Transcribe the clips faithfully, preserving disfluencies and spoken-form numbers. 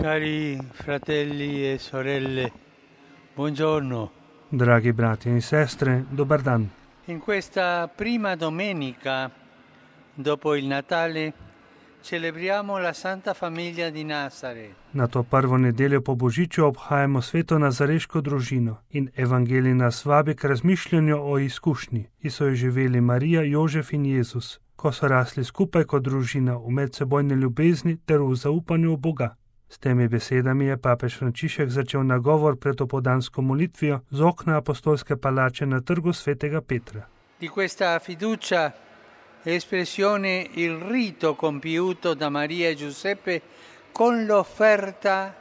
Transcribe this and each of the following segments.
Cari fratelli e sorelle, buongiorno. Dragi brati e sestre, dobar dan. In questa prima domenica dopo il Natale celebriamo la Santa Famiglia di Nazaret. Na to prvo nedeljo po Božiču obhajamo sveto nazareško družino in evangelij nas vabi k razmišljanju o izkušnji, ki so jo živeli Marija, Jožef in Jezus, ko so rasli skupaj kot družina v medsebojni ljubezni ter v zaupanju v Boga. S temi besedami je papež Frančišek začel nagovor pred opoldansko molitvijo z okna apostolske palače na trgu svetega Petra. Di questa fiducia è espressione il rito compiuto da Maria e Giuseppe con l'offerta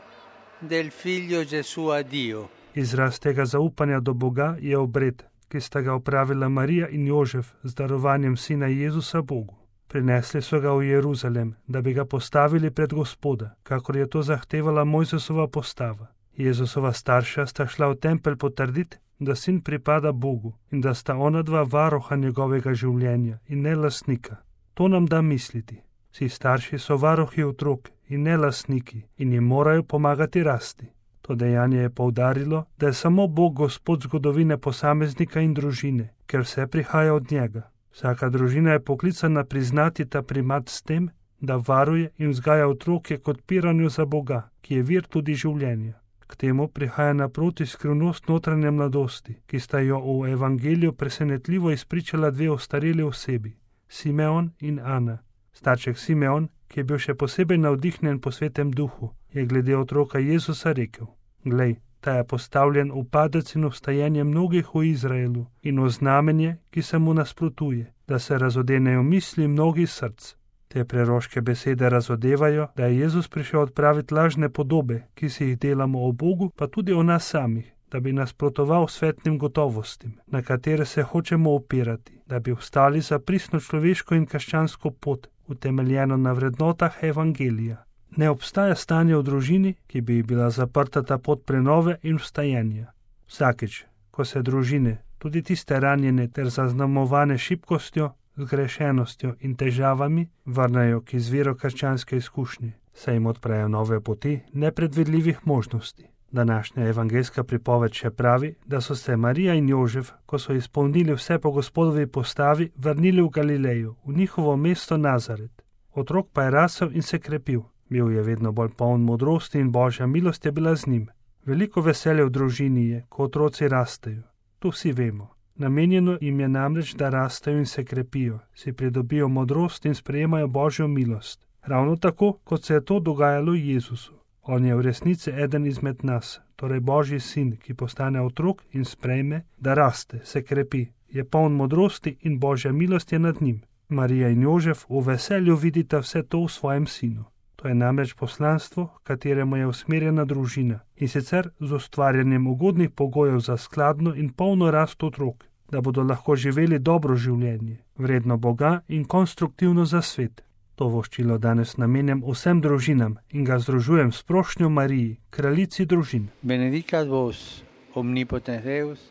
del figlio Gesù a Dio. Izraz tega zaupanja do Boga je obred, ki sta ga opravila Marija in Jožef z darovanjem sina Jezusa Bogu. Prinesli so ga v Jeruzalem, da bi ga postavili pred Gospoda, kakor je to zahtevala Mojzesova postava. Jezusova starša sta šla v tempelj potrditi, da sin pripada Bogu in da sta ona dva varoha njegovega življenja in ne lastnika. To nam da misliti. Vsi starši so varohi otrok in ne lastniki in jim morajo pomagati rasti. To dejanje je poudarilo, da je samo Bog Gospod zgodovine posameznika in družine, ker vse prihaja od njega. Vsaka družina je poklicana priznati ta primat s tem, da varuje in vzgaja otroke kot piranju za Boga, ki je vir tudi življenja. K temu prihaja naproti skrivnost notranje mladosti, ki sta jo v evangeliju presenetljivo izpričala dve ostareli osebi, Simeon in Ana. Starček Simeon, ki je bil še posebej navdihnjen po svetem duhu, je glede otroka Jezusa rekel: Glej, ta je postavljen v padec in vstajenje mnogih v Izraelu in v znamenje, ki se mu nasprotuje, da se razodenejo misli mnogih src. Te preroške besede razodevajo, da je Jezus prišel odpraviti lažne podobe, ki si jih delamo o Bogu, pa tudi o nas samih, da bi nasprotoval svetnim gotovostim, na katere se hočemo opirati, da bi vstali za pristno človeško in krščansko pot, utemeljeno na vrednotah evangelija. Ne obstaja stanje v družini, ki bi bila zaprta ta pot prenove in vstajenja. Vsakič, ko se družine, tudi tiste ranjene ter zaznamovane šibkostjo, zgrešenostjo in težavami, vrnejo k izviru krščanske izkušnje, se jim odprejo nove poti nepredvidljivih možnosti. Današnja evangelska pripoved še pravi, da so se Marija in Jožef, ko so izpolnili vse po Gospodovi postavi, vrnili v Galilejo, v njihovo mesto Nazaret. Otrok pa je rasel in se krepil. Bil je vedno bolj poln modrosti in Božja milost je bila z njim. Veliko veselja v družini je, ko otroci rastejo. To vsi vemo. Namenjeno jim je namreč, da rastejo in se krepijo, si pridobijo modrost in sprejemajo Božjo milost. Ravno tako, kot se je to dogajalo Jezusu. On je v resnici eden izmed nas, torej Božji sin, ki postane otrok in sprejme, da raste, se krepi, je poln modrosti in Božja milost je nad njim. Marija in Jožef v veselju vidita vse to v svojem sinu. To je namreč poslanstvo, kateremu je usmerjena družina, in sicer z ustvarjanjem ugodnih pogojev za skladno in polno rast otrok, da bodo lahko živeli dobro življenje, vredno Boga in konstruktivno za svet. To voščilo danes namenjam vsem družinam in ga združujem s prošnjo Mariji, kraljici družin. Benedicat vos, omnipotens Deus,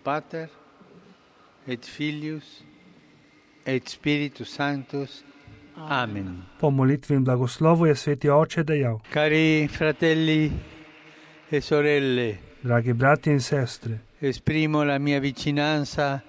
Pater, et Filius, et Spiritus Sanctus. Amen. Po molitvi in blagoslovu je sveti oče dejal: Cari fratelli e sorelle, dragi brati in sestre, esprimo la mia vicinanza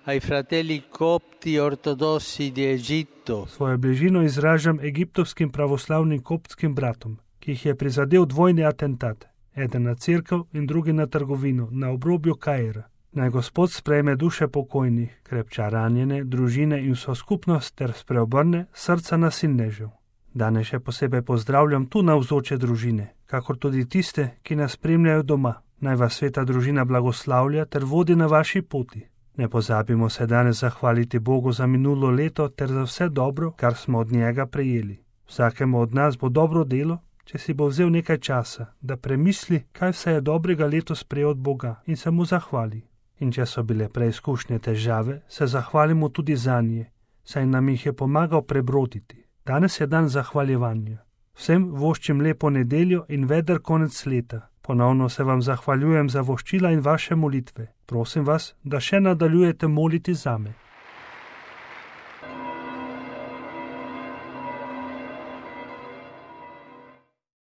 ai fratelli copti ortodossi di Egitto. Svojo bližino izražam egiptovskim pravoslavnim koptskim bratom, ki jih je prizadel dvojni atentat, eden na cerkev in drugi na trgovino na obrobju Kaira. Naj Gospod sprejme duše pokojnih, krepča ranjene, družine in vso skupnost ter spreobrne srca nasilnežev. Danes še posebej pozdravljam tu navzoče družine, kakor tudi tiste, ki nas spremljajo doma. Naj vas sveta družina blagoslavlja ter vodi na vaši poti. Ne pozabimo se danes zahvaliti Bogu za minulo leto ter za vse dobro, kar smo od njega prejeli. Vsakemu od nas bo dobro delo, če si bo vzel nekaj časa, da premisli, kaj vse je dobrega letos prejel od Boga in se mu zahvali. In če so bile preizkušnje težave, se zahvalimo tudi zanje, saj nam jih je pomagal prebroditi. Danes je dan zahvaljevanja. Vsem voščim lepo nedeljo in veder konec leta. Ponovno se vam zahvaljujem za voščila in vaše molitve. Prosim vas, da še nadaljujete moliti zame.